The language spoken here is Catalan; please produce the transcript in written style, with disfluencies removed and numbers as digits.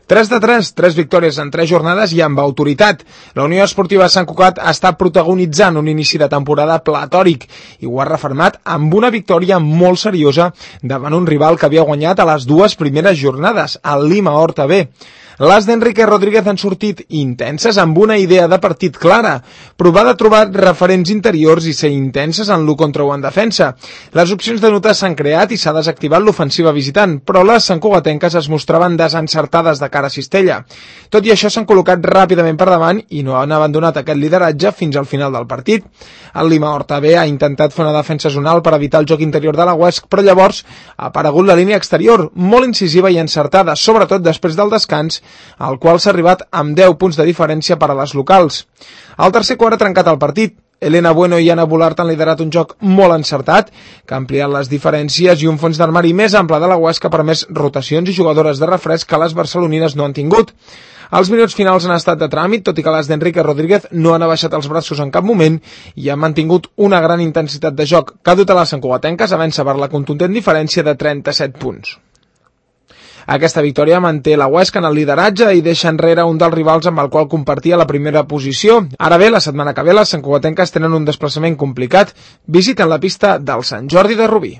3 de 3, 3 victòries en 3 jornades i amb autoritat. La Unió Esportiva Sant Cugat està protagonitzant un inici de temporada platòric i ho ha refermat amb una victòria molt seriosa davant un rival que havia guanyat a les 2 primeres jornades, el Lima Horta B. Les d'Enrique Rodríguez han sortit intenses amb una idea de partit clara, provar de trobar referents interiors i ser intenses en l'1 contra 1 en defensa. Les opcions de notes s'han creat i s'ha desactivat l'ofensiva visitant, però les santcugatenques es mostraven desencertades de cara a Cistella. Tot i això s'han col·locat ràpidament per davant i no han abandonat aquest lideratge fins al final del partit. El Lima Horta B ha intentat fer una defensa zonal per evitar el joc interior de la UESC, però llavors ha aparegut la línia exterior, molt incisiva i encertada, sobretot després del descans, al qual s'ha arribat amb 10 punts de diferència per a les locals. Al tercer quart ha trencat el partit. Elena Bueno i Anna Bolart han liderat un joc molt encertat, que ha ampliat les diferències i un fons d'armari més ample de la UESC que ha permès rotacions i jugadores de refresc que les barcelonines no han tingut. Els minuts finals han estat de tràmit, tot i que les d'Enrique Rodríguez no han abaixat els braços en cap moment i han mantingut una gran intensitat de joc que ha dut a les santcugatenques a vèncer per la contundent diferència de 37 punts. Aquesta victòria manté la UESC en el lideratge i deixa enrere un dels rivals amb el qual compartia la primera posició. Ara bé, la setmana que ve les santcugatenques tenen un desplaçament complicat. Visiten la pista del Sant Jordi de Rubí.